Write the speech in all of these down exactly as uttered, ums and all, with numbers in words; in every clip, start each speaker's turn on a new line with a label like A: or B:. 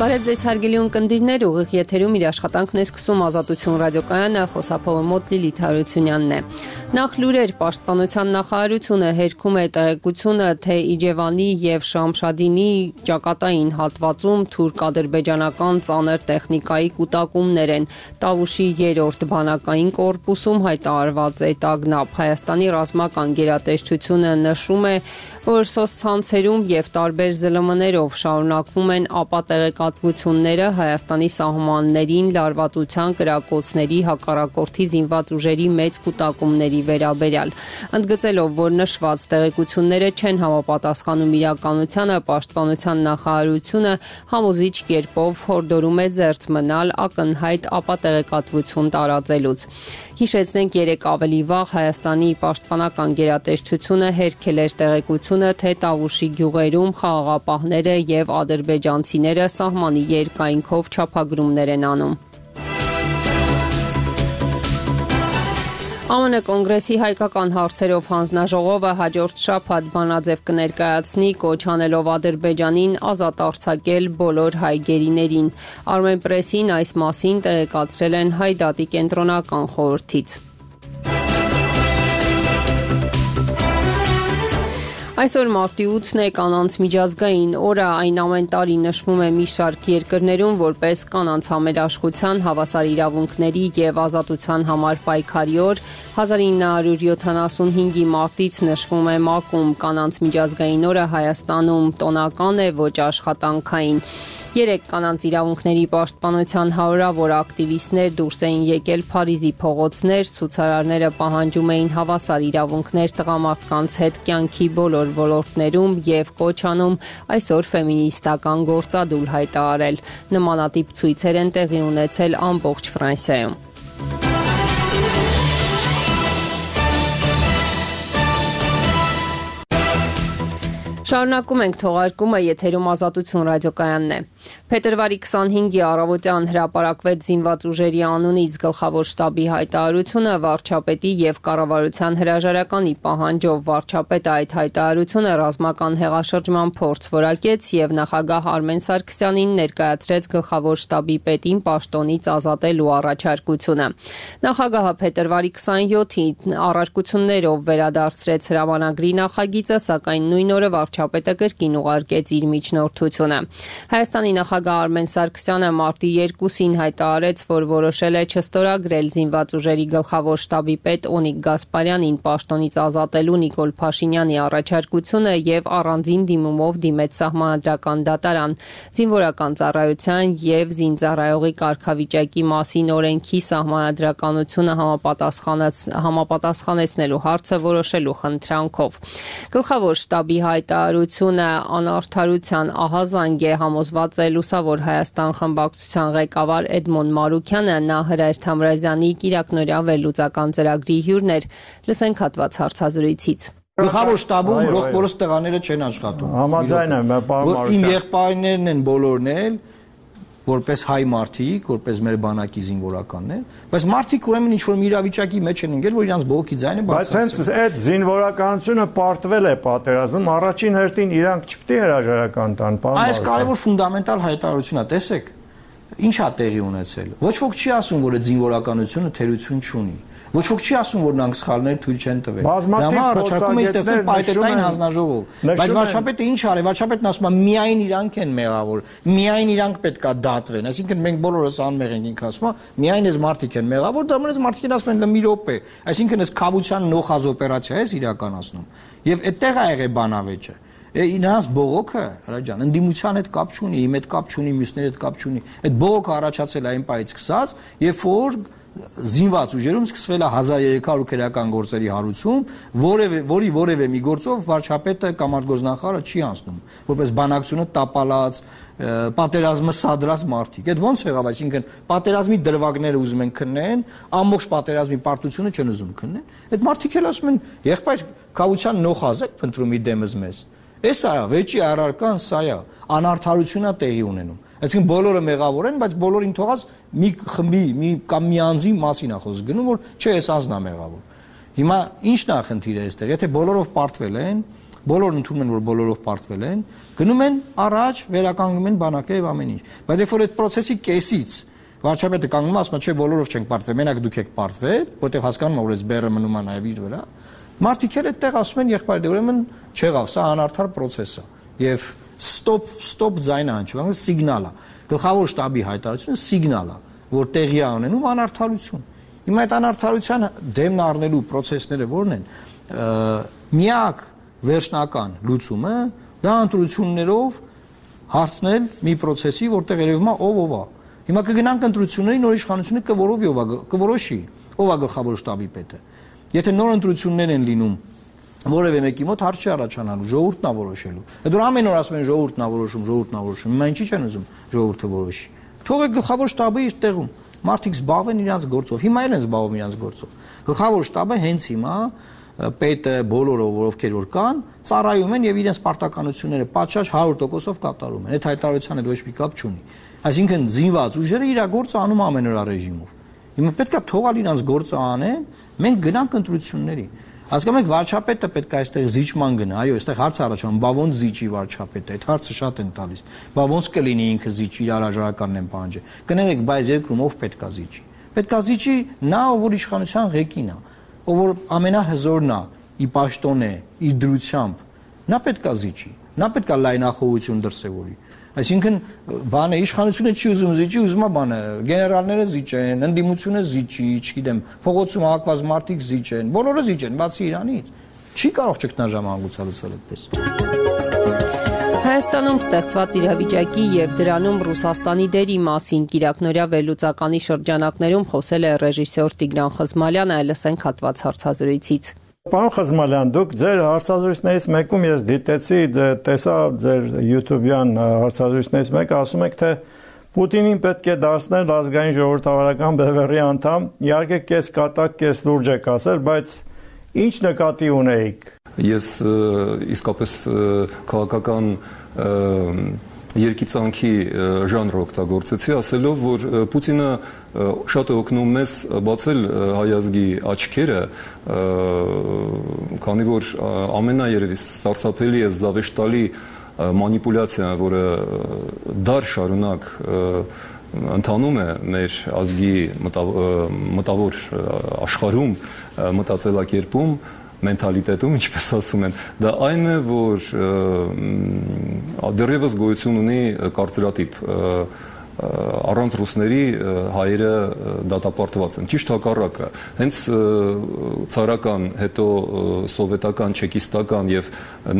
A: Բարև ձեզ հարգելի ունկնդիրներ, ուղիղ եթերում իր աշխատանքն է սկսում Ազատություն ռադիոկայանը, խոսափողը մոտ Լիլիթ Հարությունյանն է։ Նախ լուրեր, Պաշտպանության նախարարությունը հերքում է տեղեկությունը, թե Իջևանի եւ Շամշադինի ճակատային հատվածում թուրք-ադրբեջանական ծանր տեխնիկայի կուտակումներ են։ Տավուշի երրորդ բանակային կորպուսում հայտարարված է տագնապ։ Հայաստանի ռազմական գերատեսչությունը նշում է, որ սոցցանցերում եւ տարբեր ԶԼՄ-ներով շարունակվում են ապատեղեկատվությունները Հայաստանի սահմաններին լարվածության կրակոցների հակառակորդի զինված ուժերի մեծ կուտակումների վերաբերյալ։ Ընդգծելով, որ նշված տեղեկությունները չեն համապատասխանում իրականությանը, Պաշտպանության նախարարությունը համոզիչ կերպով հորդորում է զերծ մնալ ակնհայտ ապատեղեկատվություն տարածելուց։ Հիշեցնենք, երեկ ավելի վաղ Հայաստանի պաշտպանական գերատեսչությունը հերքել էր տեղեկությունը, թե Տավուշի գյուղերում խաղաղապահները եւ ադրբեջանցիները սահմանի երկայնքով չափագրումներ են անում։ ԱՄՆ կոնգրեսի հայկական հարցերով հանձնաժողովը հաջորդ շաբաթ բանաձև կներկայացնի, կոչ անելով Ադրբեջանին ազատ արձակել բոլոր հայ գերիներին։ Armenpress-ին այս մասին տեղեկացրել են Հայ դատի կենտրոնական խորհրդից։ Այսօր մարտի ութն է, կանանց միջազգային օրը, այն ամեն տարի նշվում է մի շարք երկրներում որպես կանանց համերաշխության, հավասար իրավունքների եւ ազատության համար պայքարի օր։ հազար ինը հարյուր յոթանասունհինգի մարտից նշվում է ՄԱԿ-ում կանանց միջազգային օրը Հայաստանում տոնական է, ոչ աշխատանքային։ Երեք կանանց իրավունքների պաշտպանության հարյուրավոր ակտիվիստներ դուրս էին եկել Փարիզի փողոցներ, ցուցարարները պահանջում էին հավասար իրավունքներ տղամարդկանց հետ կյանքի բոլոր ոլորտներում եւ կոչ անում այսօր ֆեմինիստական գործադուլ հայտարարել։ Նմանատիպ ցույցեր են տեղի ունեցել ամբողջ Ֆրանսիայում։ Շարունակում ենք թողարկումը, եթերում Ազատություն ռադիոկայանն է։ Փետրվարի քսանհինգի առավոտյան հրապարակվեց զինված ուժերի անունից գլխավոր շտաբի հայտարարությունը վարչապետի եւ կառավարության հրաժարականի պահանջով։ Վարչապետը այդ հայտարարությունը ռազմական հեղաշրջման փորձ որակեց եւ նախագահ Արմեն Սարգսյանին ներկայացրեց գլխավոր շտաբի պետին պաշտոնից ազատելու առաջարկությունը։ Նախագահը փետրվարի քսանյոթին առարկություններով վերադարձրեց հրամանագրի նախագիծը, սակայն նույն օրը վարչապետը կրկին ուղարկեց իր միջնորդությունը։ Հայաստանի նախագահ Արմեն Սարգսյանը մարտի երկուսին հայտարարեց, որ որոշել է չստորագրել զինված ուժերի գլխավոր շտաբի պետ Օնիկ Գասպարյանին պաշտոնից ազատելու Նիկոլ Փաշինյանի առաջարկությունը եւ առանձին դիմումով դիմեց Սահմանադրական դատարան։ Զինվորական ծառայության եւ զինծառայողի կարգավիճակի մասին օրենքի սահմանադրականությունը համապատասխանեցնելու հարցը որոշելու խնդրանքով։ Գլխավոր շտաբի հայտարարությունը անարդարության ահազանգ է, համոզված է Լուսավոր Հայաստան խմբակցության ղեկավար Էդմոն Մարուքյանը, նա Հրայր Թամրազյանի կիրակնօրյա վերլուծական ծրագրի հյուրն էր։ Լսենք հատված հարցազրույցից։
B: Գլխավոր շտաբում ռոխբորոս տղաները չեն աշխատում։
C: Համաձայն եմ, պարոն Մարուքյան։
B: Իմ եղբայրներն են բոլորն էլ, որպես հայ մարդիկ, որպես մեր բանակի զինվորականներ, բայց մարդիկ ուրեմն ինչ որ մի իրավիճակի մեջ են ընկել, որ իրանց բողոքի ձայնը բարձրացել։
C: Բայց հենց այդ զինվորականությունը պարտվել է պատերազմում, առաջին հերթին իրանք չպետք է հրաժարական տան, պարոն Մարուքյան։
B: Այս կարևոր ֆունդամենտալ հայտարարությունն է, տեսեք, ինչ է տեղի ունեցել։ Ոչ ոք չի ասում, որ այդ զինվորականությունը թերություն չունի։ Ոչ ոք չի ասում, որ նրանք սխալներ թույլ չեն տվել։ Դա առաջարկում է ստեղծել պայթետային հանձնաժողով։ Բայց վարչապետը ինչ արի, վարչապետն ասում է միայն իրանք են մեղավոր, միայն իրանք պետքա դատվեն։ Այսինքն մենք բոլորս անմեղ ենք, ինքը ասում է, միայն այս մարդիկ են մեղավոր, դա մնաց մարդիկ են ասում են մի րոպե։ Այսինքն այս քավության նոխազ օպերացիա է իրականացնում։ Եվ այդտեղ է եղել բանավեճը։ Իրանց բողոքը, հրաժան, ընդդիմության հետ կապ չունի, իմ հետ կապ չունի, մյուսների հետ կապ չունի։ Այդ բողոքը առաջացել է այն պայից սկսած, երբ որ զինված ուժերում սկսվել է հազար երեք հարյուր քրեական գործերի հարուցում, որի որևէ մի գործով վարչապետը կամ արտգործնախարարը չի անցնում, որպես բանակցությունը տապալած, պատերազմը սադրած մարդիկ։ Այդ ո՞նց եղավ, այսինքն պատերազմի դրվագները ուզում են քննեն, ամբողջ պատերազմի պարտությունը չեն ուզում քննեն։ Այդ մարդիկ էլ ասում են, եղբայր, քավության նոխազ եք փնտրում իր դեմս մեզ։ Էս է, վեճի առարկան սա է, անարդարություն է տեղի ունենում։ Այսինքն բոլորը մեղավոր են, բայց բոլորին թողած մի խմբի, մի կամ մի անձի մասին է խոսքը գնում, որ չէ, այս անձն է մեղավոր։ Հիմա ի՞նչն է խնդիրը այստեղ։ Եթե բոլորով պարտվել են, բոլորն ընդունում են, որ բոլորով պարտվել են, գնում են առաջ, վերականգնում են բանակը եւ ամեն ինչ։ Բայց երբ որ այդ process-ի կեսից վարչապետը կանգնում է, ասում է, չէ, բոլորով չենք պարտվել, մենակ դուք եք պարտվել, որտեղ հասկանում եք, որ այս բեռը մնում է նաեւ իր վրա։ Մարդիկ էլ այդտեղ ասում են եղբայր, դե ուրեմն չեղավ, սա անարդար process է։ Եվ stop stop ձայնը հնչում, սիգնալ է։ Գլխավոր շտաբի հայտարարությունը սիգնալ է, որ տեղի է ունենում անարդարություն։ Հիմա այդ անարդարության դեմն առնելու process-ները որն են, միակ վերջնական լուծումը դա ընտրություններով հարցնել մի process-ի, որտեղ երևում է ով ով է։ Հիմա կգնանք ընտրությունների, նոր իշխանությունը կորովի ով է, կորոշի, ով է գլխավոր շտաբի պետը։ Եթե նոր ընտրություններ են լինում, որևէ մեկի մոտ հարց չի առաջանալու, ժողովուրդն է որոշելու։ Այդ որ ամեն օր ասում են ժողովուրդն է որոշում, ժողովուրդն է որոշում, հիմա ինչի՞ չեն ուզում ժողովուրդը որոշի։ Թողեք գլխավոր շտաբը իր տեղում, մարդիկ զբաղվեն իրենց գործով, հիմա էլ են զբաղվում իրենց գործով։ Գլխավոր շտաբը հենց հիմա պետը բոլորը, ովքեր որ կան, ծառայում են եւ իրենց պարտականությունները պատշաճ հարյուր տոկոսով կատարում են։ Այդ հայտարարությանը ոչ մի կապ չունի։ Այսինքն զինված ուժերը իր գործը անում ամեն օր ռեժիմով։ Հիմա պետքա թողալ իրենց գործը անեն, մենք գնանք ընտրությունների։ Հասկանում եք, վարչապետը պետք է այստեղ զիջման գնա, այո, այստեղ հարց առաջանում, բա ոնց զիջի վարչապետը, այդ հարցը շատ են տալիս։ Բա ոնց կլինի ինքը զիջի, իր հրաժարականն են պահանջի։ Կներեք, բայց երկրում ով պետք է զիջի։ Պետք է զիջի նա, ով որ իշխանության ղեկին է, ով որ ամենահզորն է, ի պաշտոն է, իր դրությամբ, նա պետք է զիջի, նա պետք է լայնախոհություն դրսևորի։ Այսինքն բանը իշխանությունը չի ուզում զիջի, ուզում է բանը գեներալները զիջեն, ընդդիմությունը զիջի, չգիտեմ, փողոցում հակված մարդիկ զիջեն, բոլորը զիջեն, բացի Իրանից։ Չի կարող ճգնաժամը լուծել այդպես։
A: Հայաստանում ստեղծված իրավիճակի եւ դրանում Ռուսաստանի դերի մասին Կիրակնորյա վերլուծականի շրջանակներում խոսել է ռեժիսոր Տիգրան Խզմալյանը, լսենք հատված հարցազրույցից։
C: Պարոն Խզմալյան, դուք ձեր հարցազրույցներից մեկում ես դիտեցի, տեսա ձեր YouTube-յան հարցազրույցներից մեկը, ասում եք, թե Պուտինին պետք է դարձնել ազգային ժողովրդավարական բևեռի անդամ, իհարկե կես կատակ, կես լուրջ եք ասել, բայց ինչ նկատի ունեիք։
D: Ես իսկապես քաղաքական երկիծանքի ժանր օգտագործեցի, ասելով, որ Պուտինը շատ է օգնում մեզ բացել հայ ազգի աչքերը, քանի որ ամենաերևի սարսափելի է զավեշտալի մանիպուլյացիան, որը դար շարունակ ընթանում է մեր ազգի մտավոր աշխարհում, մտածելակերպում, մենթալիտետում, ինչպես ասում են, դա այն է, որ դեռևս գոյություն ունի կարծրատիպ, առանց ռուսների հայերը դատապարտված են։ Ճիշտ հակառակը, հենց ցարական, հետո սովետական, չեկիստական եւ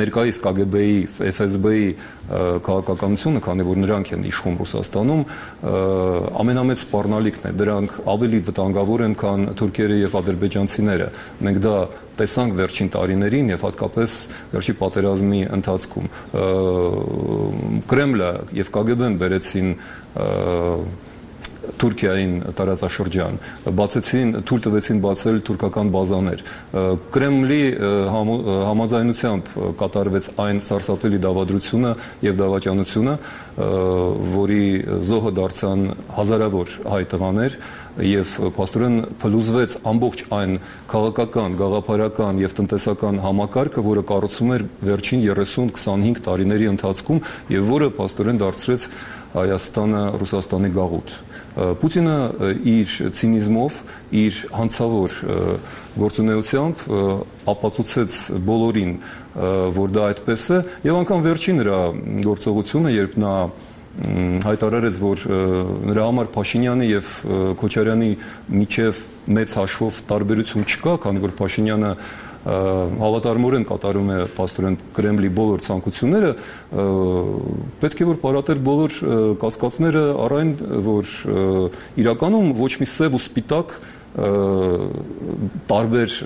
D: ներկայիս Կ Գ Բ-ի, Ֆ S B-ի քաղաքականությունը, քանի որ նրանք են իշխում Ռուսաստանում, ամենամեծ սպառնալիքն է, դրանք ավելի վտանգավոր են, քան թուրքերը եւ ադրբեջանցիները։ Մենք դա տեսանք վերջին տարիներին եւ հատկապես վերջի պատերազմի ընթացքում Կրեմլը եւ Կ Գ Բ-ն բերեցին Թուրքիային տարածաշրջան, բացեցին, թույլ տվեցին բացել թուրքական բազաներ։ Կրեմլի համաձայնությամբ կատարվեց այն սարսափելի դավադրությունը եւ դավաճանությունը, որի զոհը դարձան հազարավոր հայ տղաներ եւ փաստորեն փլուզվեց ամբողջ այն քաղաքական, գաղափարական եւ տնտեսական համակարգը, որը կառուցվում էր վերջին երեսուն քսանհինգ տարիների ընթացքում եւ որը փաստորեն դարձրեց Հայաստանը Ռուսաստանի գաղութ։ Պուտինը իր ցինիզմով, իր հանցավոր գործունեությամբ ապացուցեց բոլորին, որ դա այդպես է, եւ անգամ վերջին նրա գործողությունը, երբ նա հայտարարեց, որ նրա համար Փաշինյանի եւ Քոչարյանի միջև մեծ հաշվով տարբերություն չկա, քանի որ Փաշինյանը հավատարմորեն կատարում է փաստորեն Կրեմլի բոլոր ցանկությունները, պետք է որ պարատել բոլոր կասկածները առայն, որ իրականում ոչ մի սև ու սպիտակ տարբեր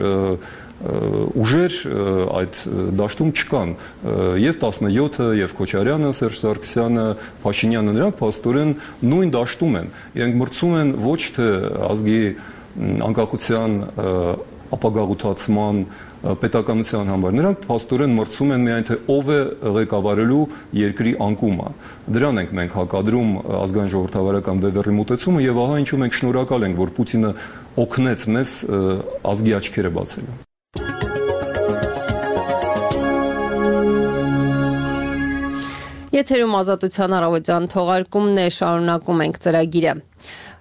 D: ուժեր այդ դաշտում չկան, եւ տասնյոթը, եւ Քոչարյանը, Սերժ Սարգսյանը, Փաշինյանը, նրանք փաստորեն նույն դաշտում են, իրենք մրցում են ոչ թե ազգի անկախության ապագաղութացման պետականության համար, նրանք փաստորեն մրցում են միայն թե ով է ղեկավարելու երկրի անկումը։ Դրան ենք մենք հակադրում ազգային ժողովրդավարական բևեռի մոտեցումը եւ ահա ինչու մենք շնորհակալ ենք, որ Պուտինը օգնեց մեզ ազգի աչքերը բացելու։
A: Եթերում Ազատության առավոտյան թողարկումն է, շարունակում ենք ծրագիրը։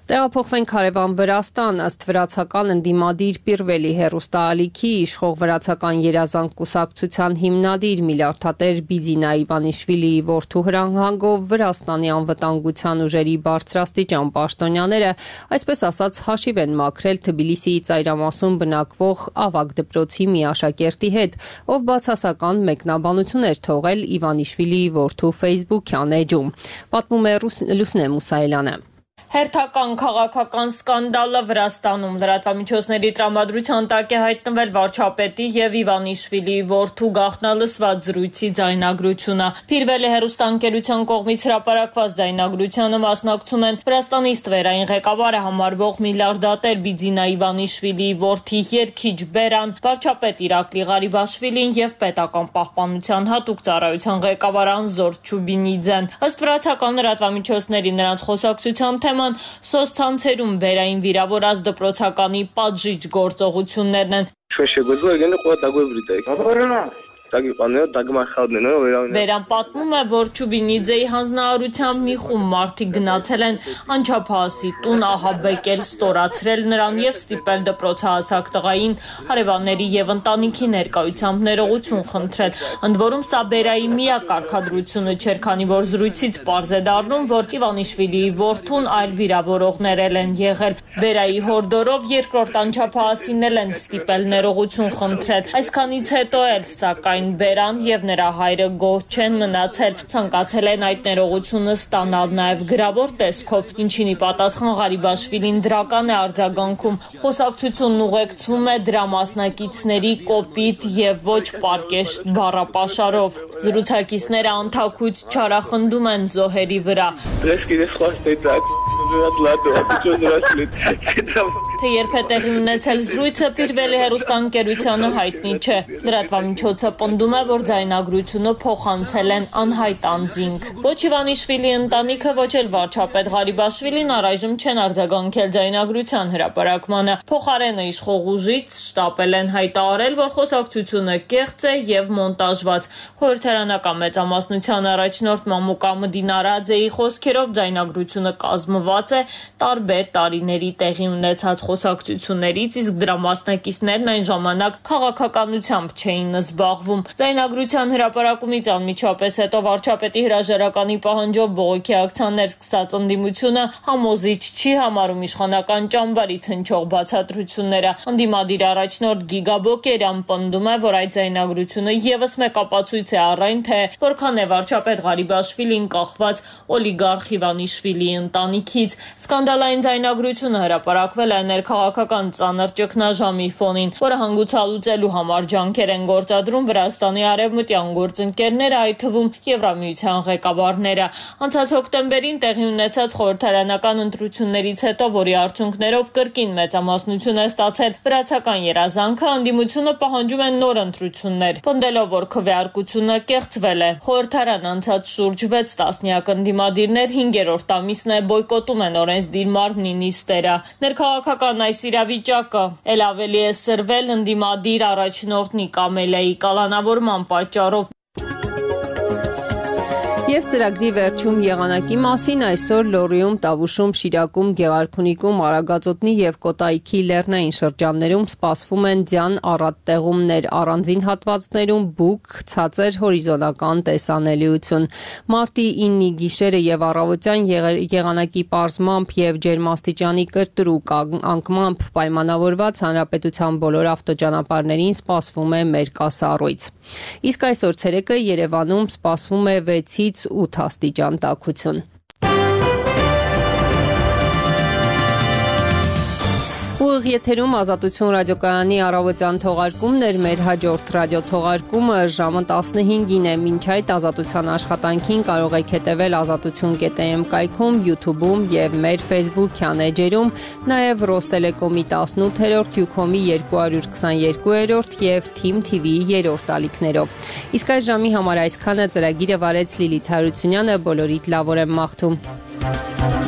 A: Տեղափոխվենք հարևան Վրաստան, ըստ վրացական ընդդիմադիր Պիրվելի հեռուստաալիքի իշխող վրացական երազանք կուսակցության հիմնադիր միլիարդատեր Բիձինա Իվանիշվիլիի որդու հրահանգով Վրաստանի անվտանգության ուժերի բարձրաստիճան պաշտոնյաները, այսպես ասած, հաշիվ են մաքրել Թբիլիսիի ծայրամասում բնակվող ավագ դպրոցի մի աշակերտի հետ, ով բացասական մեկնաբանություն էր թողել Իվանիշվիլիի որդու Facebook-յան էջում։ Պատմում է Լուսնե Մուսայելյանը։
E: Հերթական քաղաքական սկանդալը Վրաստանում լրատվամիջոցների տրամադրության տակ է հայտնվել վարչապետի եւ Իվանիշվիլիի որդու գաղտնալսված զրույցի ձայնագրությունը։ Փիրվելի հեռուստաընկերության կողմից հրապարակված ձայնագրությանը մասնակցում են Վրաստանի ստվերային ղեկավարը համարվող միլիարդատեր Բիձինա Իվանիշվիլիի որդի երգիչ Բերան, վարչապետ Իրակլի Ղարիբաշվիլին եւ պետական պահպանության հատուկ ծառայության ղեկավար Անզոր Չուբինիձեն։ Ըստ վրացական լրատվամիջոցների նրանց խոսակցության թեման սոցցանցերում բերային վիրավորած դպրոցականի պատժիչ գործողություններն են։ Բերան պատմում է, որ Չուբինիձեի հանձնարարությամբ մի խումբ մարդիկ գնացել են անչափահասի տուն ահաբեկել, ստորացրել նրան եւ ստիպել դպրոցահասակ տղային հարևանների եւ ընտանիքի ներկայությամբ ներողություն խնդրել։ Ընդ որում սա Բերայի միակ կարգադրությունը չէր, քանի որ զրույցից պարզ է դառնում, որ Իվանիշվիլիի որդուն այլ վիրավորողներ են եղել։ Բերայի հորդորով երկրորդ անչափահասին են ստիպել ներողություն խնդրել։ Այսքանից հետո էլ սակայն Բերան եւ նրա հայրը գոհ չեն մնացել, ցանկացել են այդ ներողությունը ստանալ նաեւ գրավոր տեսքով, ինչին ի պատասխան Ղարիբաշվիլին դրական է արձագանքում։ Խոսակցությունն ուղեկցվում է դրա մասնակիցների կոպիտ եւ ոչ պարկեշտ բառապաշարով։ Զրուցակիցները անթաքույց չարախնդում են զոհերի վրա։ Թե երբ է տեղի ունեցել զրույցը, Պիրվելի հեռուստաընկերությանը հայտնի չէ։ Լրատվամիջոցը պնդում է, որ ձայնագրությունը փոխանցել են անհայտ անձինք։ Ոչ Իվանիշվիլիի ընտանիքը, ոչ էլ վարչապետ Ղարիբաշվիլին առայժմ չեն արձագանքել ձայնագրության հրապարակմանը։ Փոխարենը իշխող ուժից շտապել են հայտարարել, որ խոսակցությունը կեղծ է եւ մոնտաժված։ Խորհրդարանական մեծամասնության առաջնորդ Մամուկա Մդինարաձեի խոսքերով ձայնագրությունը կազմված է տարբեր տարիների տեղի ունեցած խոսակցություններից, իսկ դրա մասնակիցներն այն ժամանակ քաղաքականությամբ չէին զբաղվում։ Ձայնագրության հրապարակումից անմիջապես հետո վարչապետի հրաժարականի պահանջով բողոքի ակցիաներ սկսած ընդդիմությունը համոզիչ չի համարում իշխանական ճամբարից հնչող բացատրությունները։ Ընդդիմադիր առաջնորդ Գիգա Բոկերյան պնդում է, որ այդ ձայնագրությունը եւս մեկ ապացույց է առ այն, թե որքան է վարչապետ Ղարիբաշվիլին կախված օլիգարխ Իվանիշվիլիի ընտանիքից։ Սկանդալային ձայնագրությունը հրապարակվել է ներքաղաքական ծանր ճգնաժամի ֆոնին, որը հանգուցալուծելու համար ջանքեր են գործադրում Վրաստանի արևմտյան գործընկերները, այդ թվում Եվրամիության ղեկավարները։ Անցած հոկտեմբերին տեղի ունեցած խորհրդարանական ընտրություններից հետո, որի արդյունքներով կրկին մեծամասնություն է ստացել վրացական երազանքը, ընդդիմությունը պահանջում է նոր ընտրություններ, պնդելով, որ քվեարկությունը կեղծվել է։ Խորհրդարան անցած շուրջ վեց տասնյակ ընդդիմադիրներ հինգերորդ ամիսն է բոյկոտում են օրենսդիր մարմնի նիստերը։ Ներքաղաքական այս իրավիճակը էլ ավելի է սրվել ընդդիմադիր առաջնորդ Նիկա Մելեի կալանավորման պատճառով։
A: Եվ ծրագրի վերջում եղանակի մասին այսօր Լոռիում, Տավուշում, Շիրակում, Գեղարքունիքում, Արագածոտնի եւ Կոտայքի լեռնային շրջաններում սպասվում են ձյան առատ տեղումներ, առանձին հատվածներում բուք, ցածր հորիզոնական տեսանելիություն։ Մարտի ինը գիշերը եւ առավոտյան եղանակի պարզմամբ եւ ջերմաստիճանի կրկրուկ անկմամբ պայմանավորված հանրապետության բոլոր ավտոճանապարհներին սպասվում է մերկասառույց։ Իսկ այսօր ցերեկը Երևանում սպասվում է վեցից ութ աստիճան տաքություն։ Ուղիղ եթերում Ազատություն ռադիոկայանի առավոտյան թողարկումն էր, մեր հաջորդ ռադիոթողարկումը ժամը տասնհինգին է։ Մինչ այդ Ազատության աշխատանքին կարող եք հետևել ազատություն կետ եմ կայքում, YouTube-ում եւ մեր Facebook-յան էջերում, նաեւ Ռոստելեկոմի տասնութերորդ, Յուքոմի երկու հարյուր քսաներկուերորդ եւ Թիմ թի վիի երրորդ ալիքներով։ Իսկ այս ժամի համար այսքանը ծրագիրը վարեց Լիլիթ Հարությունյանը, բոլորիդ լավ օր եմ մաղթում։